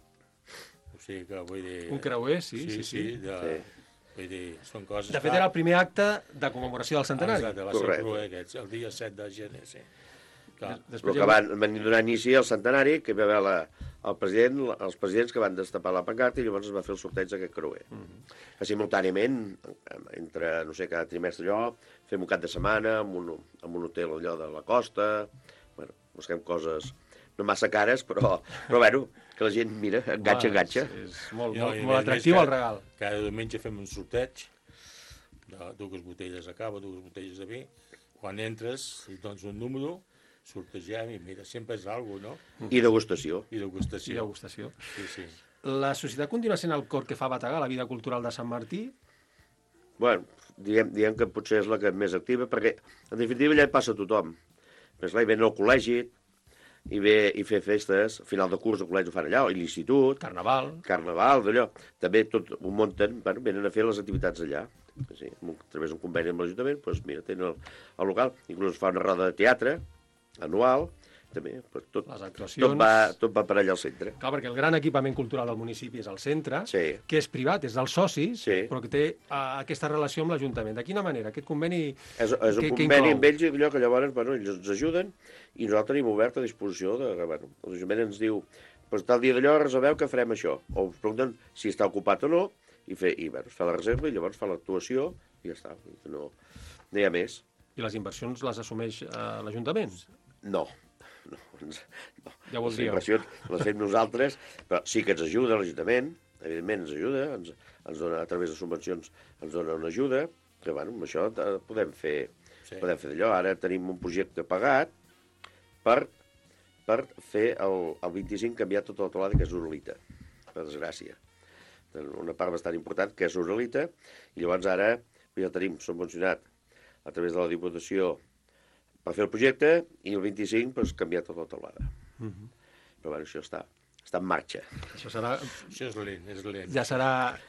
o sigui que vull dir... Un creuer, sí. Vull dir, són coses... De fet, era el primer acte de commemoració del centenari. Exacte, va ser el creuer aquest, el dia 7 de gener, sí. Però que van donar inici al centenari, que hi va haver els presidents que van destapar la pancarta i llavors es va fer el sorteig d'aquest creuer. Simultàniament, entre, no sé, cada trimestre allò, fem un cap de setmana en un hotel allò de la costa, bueno, busquem coses no massa cares, però bueno, que la gent, mira, enganxa. És molt atractiu el regal. Cada diumenge fem un sorteig de 2 botelles de cava, 2 botelles de vi. Quan entres, et dones un número, sortegem i mira, sempre és alguna cosa, no? I degustació. Sí. La societat continua sent el cor que fa bategar la vida cultural de Sant Martí? Bueno, diguem que potser és la que és més activa, perquè en definitiva allà hi passa tothom. Però esclar, hi ven al col·legi, i fer festes, final de curs al col·legi ho fan allà, i l'institut... Carnaval, d'allò. També tot ho munten, bueno, venen a fer les activitats allà. Sí, a través d'un conveni amb l'Ajuntament, doncs mira, tenen el local, inclús es fa una roda de teatre anual, també, tot va per allà al centre. Clar, perquè el gran equipament cultural del municipi és el centre, que és privat, és dels socis, però que té aquesta relació amb l'Ajuntament. De quina manera? Aquest conveni és un conveni amb ells, allò que llavors ells ens ajuden i nosaltres tenim obert a disposició l'Ajuntament ens diu, pues, tal dia d'allò reserveu que farem això, o ens pregunten si està ocupat o no, i es fa la reserva i llavors fa l'actuació i ja està, no hi ha més. I les inversions les assumeix l'Ajuntament? No. Ja ho les inversions les fem nosaltres, però sí que ens ajuda l'Ajuntament, evidentment ens ajuda, ens dona, a través de subvencions ens dona una ajuda, que bueno, amb això podem fer d'allò. Ara tenim un projecte pagat per fer el 25 canviar tota la teulada, que és uralita, per desgràcia. Una part bastant important, que és uralita, i llavors ara ja tenim subvencionat a través de la Diputació per fer el projecte, i el 25 pues, canviar tota la teulada. Però bueno, això està en marxa. Això serà... Això és lent. Ja serà,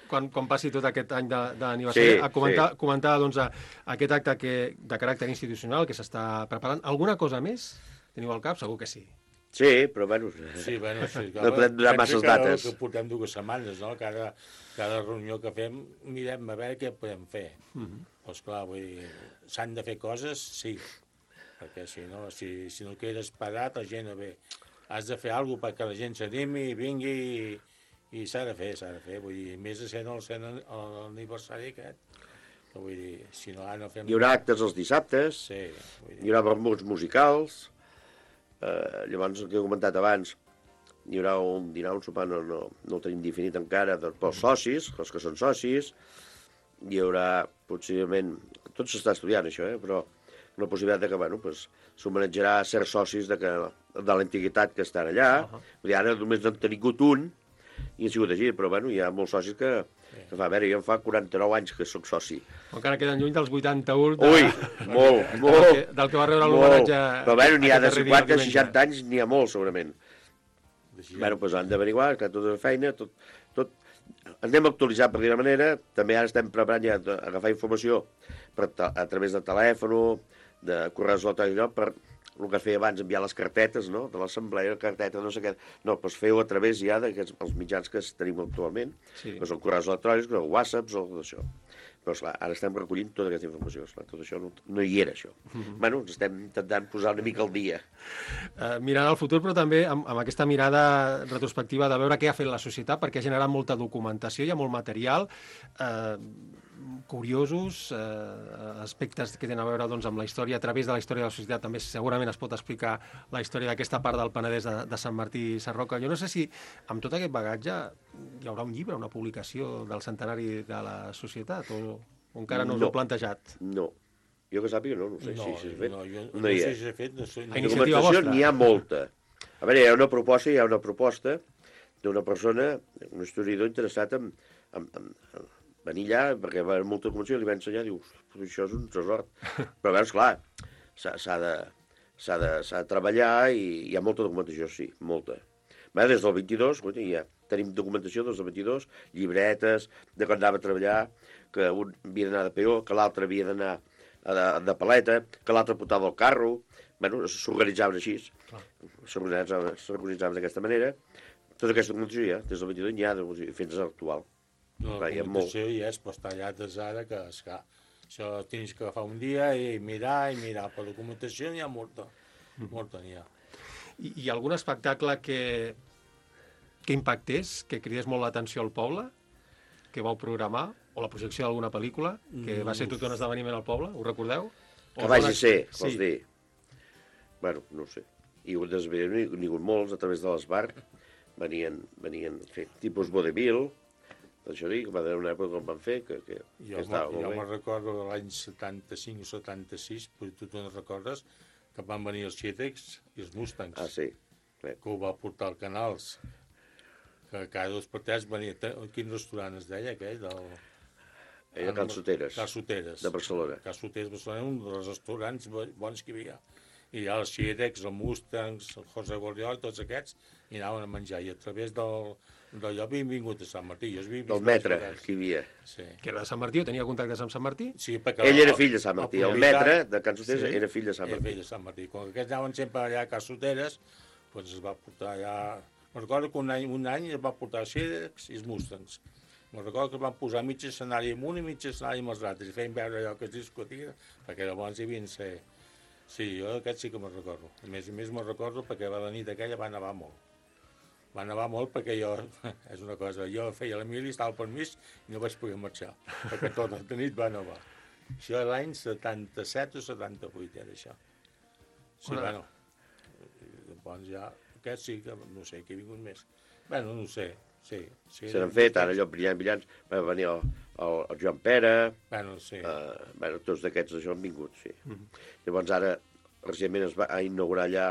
quan passi tot aquest any d'aniversari, comentar doncs, aquest acte de caràcter institucional que s'està preparant. Alguna cosa més? Teniu al cap? Segur que sí. Sí, però bueno, no podem donar masses dates. Que portem 2 setmanes, no? Cada reunió que fem mirem a veure què podem fer. Però esclar, vull dir, s'han de fer coses, sí. perquè si no quedes parat, la gent no ve. Has de fer alguna cosa perquè la gent s'animi, vingui, i s'ha de fer. Vull dir, més de ser l'aniversari aquest. Vull dir, si no, no fem... Hi haurà actes els dissabtes, Sí, hi haurà vermuts musicals, llavors, el que he comentat abans, hi haurà un dinar, un sopar, no ho tenim definit encara, pels socis, els que són socis, hi haurà, possiblement, tot s'està estudiant això, però una possibilitat que, bueno, s'homenatjarà a certs socis de l'antiguitat que estan allà. Vull dir, ara només n'han tingut un, i ha sigut així, però bueno, hi ha molts socis que fa, a veure, jo em fa 49 anys que sóc soci. Encara queden lluny dels 81. Ui, molt, molt. Del que va rebre l'homenatge. Però bueno, n'hi ha de 50, 60 anys, n'hi ha molt, segurament. Bueno, doncs han d'averiguar, que tota la feina, tot... Anem a actualitzar, per dir-ho manera. També ara estem preparant ja agafar informació a través de telèfon, de correus electrònics, per el que feia abans, enviar les cartetes, no?, de l'assemblea, carteta, no sé què. No, doncs feu a través ja dels mitjans que tenim actualment, que són correus electrònics, o whatsapps, o tot això. Però, esclar, ara estem recollint tota aquesta informació. Esclar, tot això no hi era, això. Bueno, ens estem intentant posar una mica al dia. Mirant al futur, però també amb aquesta mirada retrospectiva de veure què ha fet la societat, perquè ha generat molta documentació, hi ha molt material, curiosos, aspectes que tenen a veure doncs, amb la història, a través de la història de la societat també segurament es pot explicar la història d'aquesta part del Penedès de Sant Martí i Sarroca. Jo no sé si amb tot aquest bagatge hi haurà un llibre, una publicació del centenari de la societat, o encara no us ho heu plantejat? No. Jo que sàpiga, no sé si s'ha fet. No sé si s'ha fet. A iniciativa vostra? N'hi ha molta. A veure, hi ha una proposta d'una persona, un historiador interessat en venir allà, perquè va haver molta documentació, li va ensenyar, diu, això és un tresor. Però, veus, clar, s'ha de treballar i hi ha molta documentació, sí, molta. Des del 22, ja tenim documentació des del 22, llibretes, de quan anava a treballar, que un havia d'anar de peó, que l'altre havia d'anar de paleta, que l'altre portava el carro. Bueno, s'organitzaven així, s'organitzaven d'aquesta manera. Tota aquesta documentació ja, des del 22 n'hi ha fins a l'actual. No, la documentació hi és, però està allà des d'ara, que esclar, això tens que agafar un dia i mirar, però documentació n'hi ha molta n'hi ha. I algun espectacle que impactés, que cridés molt l'atenció al poble, que vau programar, o la projecció d'alguna pel·lícula, que va ser tot un esdeveniment al poble, ho recordeu? Que vagi ser, vols dir? Bueno, no ho sé. Hi ha hagut molts a través de l'Esbarc, venien fer tipus vodevil, això dic, va haver una època que van fer, que estava molt bé. Jo me'n recordo de l'any 75 o 76, però tu te'n recordes, que van venir els Xetecs i els Mustangs. Ah, sí. Que ho va portar al Canals. Que cada 2 per 3 venia... Quin restaurant es deia, aquell? Era Can Soteres. Can Soteres. De Barcelona. Can Soteres de Barcelona, un dels restaurants bons que hi havia. I allà els Xetecs, els Mustangs, el José Gordiol, tots aquests, i anaven a menjar. I a través del lloc havien vingut a Sant Martí. Del metre, que hi havia. Sí. Que era de Sant Martí, o tenia contactes amb Sant Martí? Sí, perquè... Ell era fill de Sant Martí. El metre de Can Soteres era fill de Sant Martí. Era fill de Sant Martí. Com que aquests anaven sempre allà a Can Soteres, doncs es va portar allà... Me'n recordo que un any es va portar els Xedecs i els Mustangs. Me'n recordo que es van posar mig escenari amb un i mig escenari amb els altres, i feien veure allò que es discutia, perquè llavors hi havia ser... Sí, jo aquest sí que me'n recordo. A més me'n recordo perquè la nit aquella va nevar molt. Va nevar molt perquè jo, és una cosa, jo feia la mili, estava al permís i no vaig poder marxar, perquè tota la nit va nevar. Això era l'any 77 o 78, era això. Sí, bueno, llavors ja, aquest sí que, no sé, que he vingut més. Bueno, no sé, sí. Se n'han fet, ara allò brillants, va venir el Joan Pere, sí. Tots d'aquests això han vingut, sí. Llavors ara, recentment es va inaugurar allà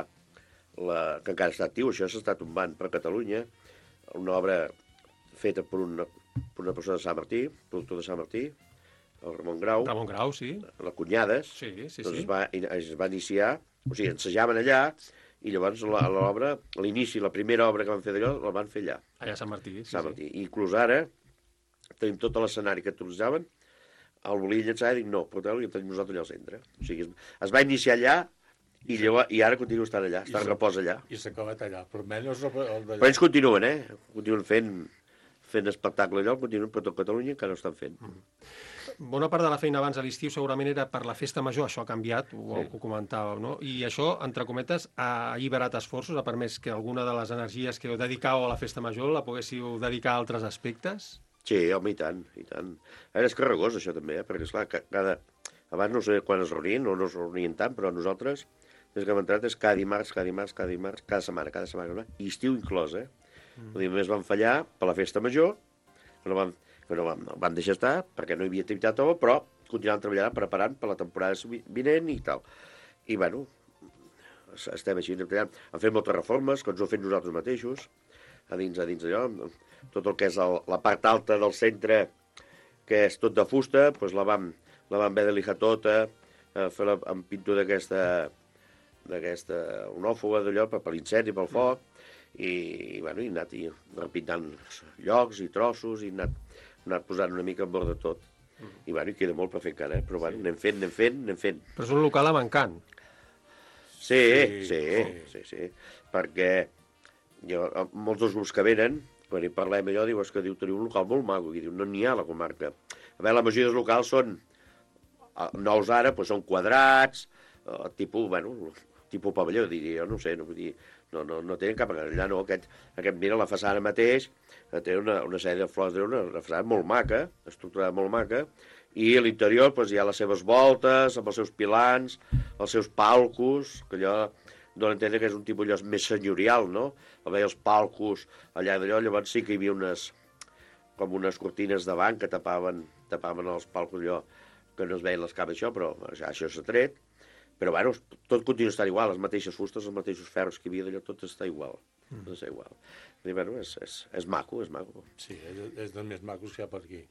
que encara està actiu, això s'està tombant per Catalunya, una obra feta per una persona de Sant Martí, productor de Sant Martí, el Ramon Grau. Ramon Grau, sí. La Cunyades. Sí. Doncs es va iniciar, o sigui, ensejaven allà, i llavors l'obra, l'inici, la primera obra que van fer d'allò, la van fer allà. Allà a Sant Martí, sí. Sant Martí. I inclús ara tenim tot l'escenari que utilitzaven, el volia llançar i dic, no, porteu-lo i el tenim nosaltres allà al centre. O sigui, es va iniciar allà, i ara continua estant allà, està en repòs allà. I s'ha acabat allà, però menys el d'allà. Però ells continuen, continuen fent espectacle allò, continuen per tot Catalunya, encara ho estan fent. bona part de la feina abans a l'estiu segurament era per la festa major, això ha canviat, ho comentàveu, no? I això, entre cometes, ha alliberat esforços, ha permès que alguna de les energies que heu dedicau a la festa major la poguéssiu dedicar a altres aspectes? Sí, home, i tant, i tant. A veure, és carregós, això, també, perquè, esclar, abans no sé quan es reunien, o no es reunien tant, però nosaltres, des que hem entrat, és cada dimarts, cada setmana, i estiu inclòs, Vull dir, només van fallar per la festa major, que no van deixar estar, perquè no hi havia activitat nova, però continuaven treballant, preparant per la temporada vinent i tal. I, bueno, estem així treballant. Han fet moltes reformes, que ens ho hem fet nosaltres mateixos, a dins d'allò. Tot el que és la part alta del centre, que és tot de fusta, doncs la vam haver de lijar tota, fer amb pintura d'aquesta onòfoba d'allò, per l'incendi, pel foc, i bueno, he anat repintant llocs i trossos, i he anat posant una mica en bord de tot. I bueno, queda molt per fer encara, però bueno, anem fent. Però és un local mancant. Sí, perquè molts dels grups que venen, quan hi parlem allò, diu que teniu un local molt maco, i diu, no n'hi ha a la comarca. A veure, la majoria dels locals són nous ara, doncs són quadrats, tipus pavelló, diria jo, no sé, no tenen cap... Allà no, aquest, mira, la façana mateix, té una sèrie de flors, una façana molt maca, estructurada molt maca, i a l'interior doncs, hi ha les seves voltes, amb els seus pilans, els seus palcos, que allò dona a entendre que és un tipus allò més senyorial, no? A veure els palcos allà d'allò, llavors sí que hi havia com unes cortines davant que tapaven els palcos allò, que no es veien les cames això, però això s'ha tret. Però, bueno, tot continua estant igual, les mateixes fustes, els mateixos ferros que hi havia d'allò, tot està igual. Tot està igual. I, bueno, és maco, és maco. Sí, és dels més macos que hi ha per aquí.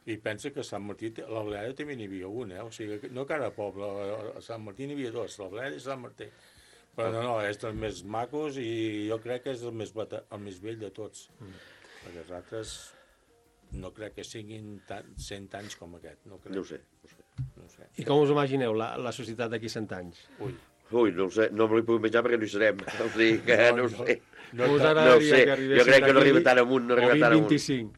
I pensa que a Sant Martí, a la Bleda també n'hi havia un, O sigui, no cada poble, a Sant Martí n'hi havia dos, la Bleda i Sant Martí. Però no, és dels més macos i jo crec que és el més vell de tots. Perquè els altres no crec que siguin 100 anys com aquest. No ho sé. I com us imagineu la societat d'aquí 100 anys? Ui, no ho sé, no me l'hi puc menjar perquè no hi serem. O sigui que no ho sé. No us agradaria que jo crec que no arriba tan amunt. O 2025.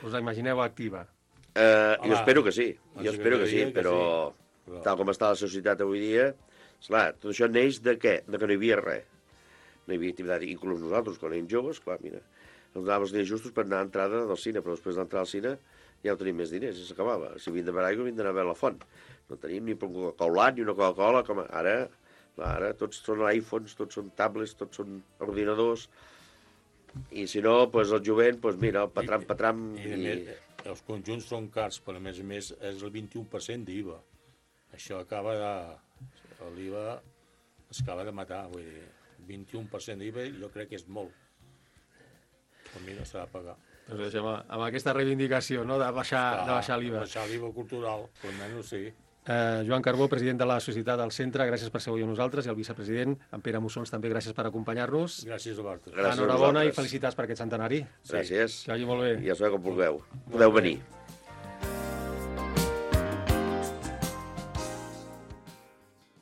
Us imagineu activa? Jo espero que sí, però tal com està la societat avui dia, esclar, tot això neix de què? De que no hi havia res. No hi havia activitat, inclús nosaltres, quan érem joves, clar, mira, ens donàvem els diners justos per anar a entrada del cine, però després d'entrar al cine ja ho tenim més diners, i s'acabava. Si havien de beure aigua, havien d'anar a veure la font. No tenim ni un Coca-Cola ni una Coca-Cola, com ara tots són iPhones, tots són tablets, tots són ordinadors, i si no, doncs el jovent, doncs mira, el patram... I els conjunts són cars, però a més és el 21% d'IVA. Això l'IVA es acaba de matar, vull dir, 21% d'IVA jo crec que és molt. Per mi no s'ha de pagar. Doncs deixem amb aquesta reivindicació, no?, de baixar l'IVA. Baixar l'IVA cultural, almenys sí. Joan Carbó, president de la Societat del Centre, gràcies per ser avui amb nosaltres, i el vicepresident, en Pere Mussons, també gràcies per acompanyar-nos. Gràcies a vosaltres. Enhorabona i felicitats per aquest centenari. Gràcies. Que vagi molt bé. Ja sabeu com vulgueu. Podeu venir.